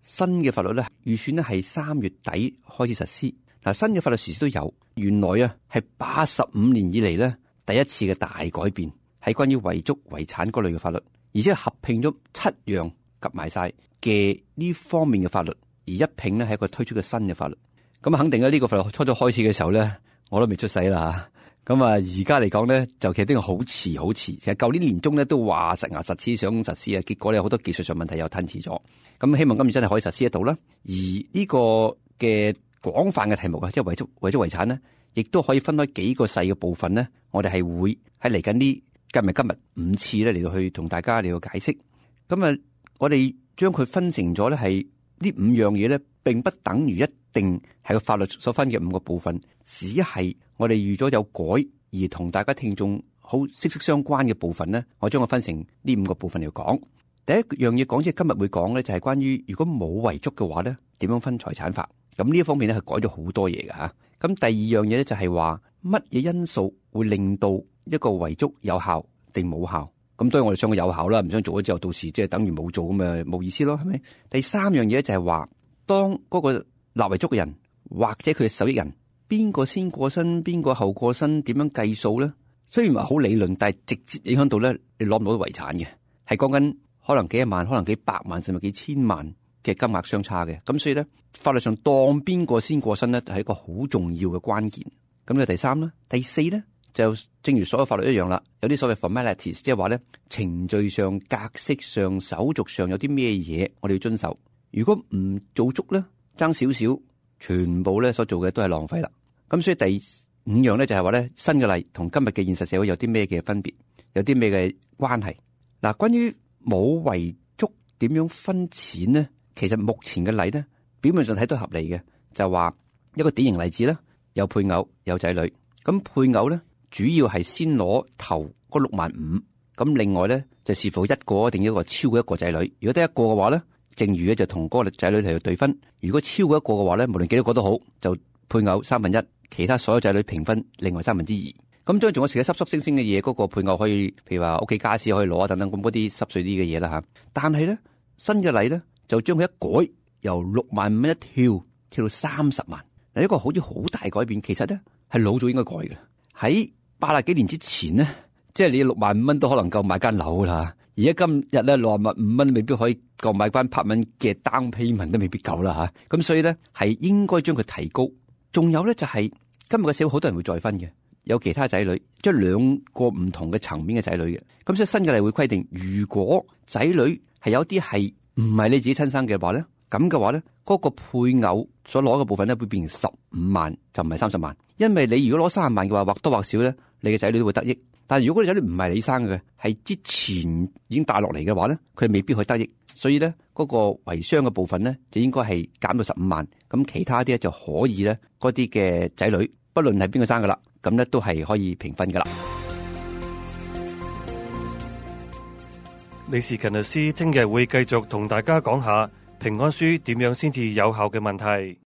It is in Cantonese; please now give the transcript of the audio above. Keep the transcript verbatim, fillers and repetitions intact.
新嘅法律咧，預算咧係三月底開始實施。嗱，新嘅法律時時都有，原來啊係八十五年以嚟咧第一次嘅大改變，係關於遺囑遺產嗰類嘅法律，而且合併咗七樣夾埋晒嘅呢方面嘅法律，而一併咧係一個推出嘅新嘅法律。咁肯定咧呢個法律初初開始嘅時候咧，我都未出世啦。咁啊，而家嚟講咧，就其實呢個好遲好遲。其實舊年年中咧都話實牙實齒想實施啊，結果咧有好多技術上問題又吞遲咗。咁希望今次真係可以實施得到啦。而呢個嘅廣泛嘅題目啊，即係遺囑遺囑遺產咧，亦都可以分開幾個細嘅部分咧。我哋係會喺嚟緊呢今日今日五次咧嚟到去同大家嚟到解釋。咁啊，我哋將佢分成咗咧係呢五樣嘢咧，並不等於一定係個法律所分嘅五個部分，只係我哋預咗有改而同大家聽眾好息息相關嘅部分咧，我將佢分成呢五個部分嚟講。第一樣嘢講，即係今日會講咧，就係關於如果冇遺囑嘅話咧，點樣分財產法？咁呢一方面咧係改咗好多嘢㗎吓。咁第二樣嘢咧就係話乜嘢因素會令到一個遺囑有效定冇效？咁當然我哋想佢有效啦，唔想做咗之後到時即係等於冇做咁咪冇意思咯，係咪？第三樣嘢就係話，當嗰個立遺囑嘅人或者佢嘅受益人，邊個先過身，邊個後過身，點樣計數咧？雖然話好理論，但係直接影響到咧，你攞唔到遺產嘅，係講緊可能幾一萬，可能幾百萬，甚至幾千萬嘅金額相差嘅。咁所以咧，法律上當邊個先過身咧，係一個好重要嘅關鍵。咁呢個第三啦，第四咧就正如所有法律一樣啦，有啲所謂 formalities，即係話咧程序上、格式上、手續上有啲咩嘢我哋要遵守。如果唔做足咧，爭少少，全部咧所做嘅都係浪費啦。咁所以第五樣咧就係話咧，新嘅例同今日嘅現實社會有啲咩嘅分別，有啲咩嘅關係。嗱，關於冇遺囑點樣分錢咧，其實目前嘅例咧，表面上睇都合理嘅，就係話一個典型例子啦，有配偶有仔女，咁配偶咧主要係先攞頭嗰六萬五，咁另外咧就視乎一個定一個超過一個仔女，如果得一個嘅話咧，正如咧就同嗰個仔女嚟到對分，如果超過一個嘅話咧，無論幾多個都好，就配偶三分一，其他所有仔女平分另外三分之二。咁將仲有其他濕濕星星嘅嘢，嗰個配偶可以，譬如話屋企家私可以攞啊等等，咁嗰啲濕碎啲嘅嘢啦吓。但係咧新嘅例咧就將佢一改，由六萬五蚊一跳跳到三十萬。嗱，一個好似好大改變，其實咧係老早應該改嘅。喺八十幾年之前咧，即係你六萬五蚊都可能夠買間樓啦。而家今日咧六萬五蚊未必可以夠買翻拍蚊嘅 down payment 都未必夠啦吓。咁所以咧係應該將佢提高。仲有咧就係、是、今日嘅社會好多人會再婚嘅，有其他仔女，即係兩個唔同嘅層面嘅仔女嘅。咁所以新嘅例會規定，如果仔女係有啲係唔係你自己親生嘅話咧，咁嘅話咧，嗰、那個配偶所攞嘅部分咧會變成十五萬，就唔係三十萬。因為你如果攞三十萬嘅話，或多或少咧，你嘅仔女都會得益。但係如果你仔女唔係你生嘅，係之前已經帶落嚟嘅話咧，佢未必可以得益。所以咧，嗰個遺孀嘅部分咧，就應該係減到十五萬。咁其他啲咧就可以咧，嗰啲嘅仔女，不論係邊個生噶啦，咁咧都係可以平分噶啦。李士勤律師聽日會繼續同大家講下平安書點樣先至有效嘅問題。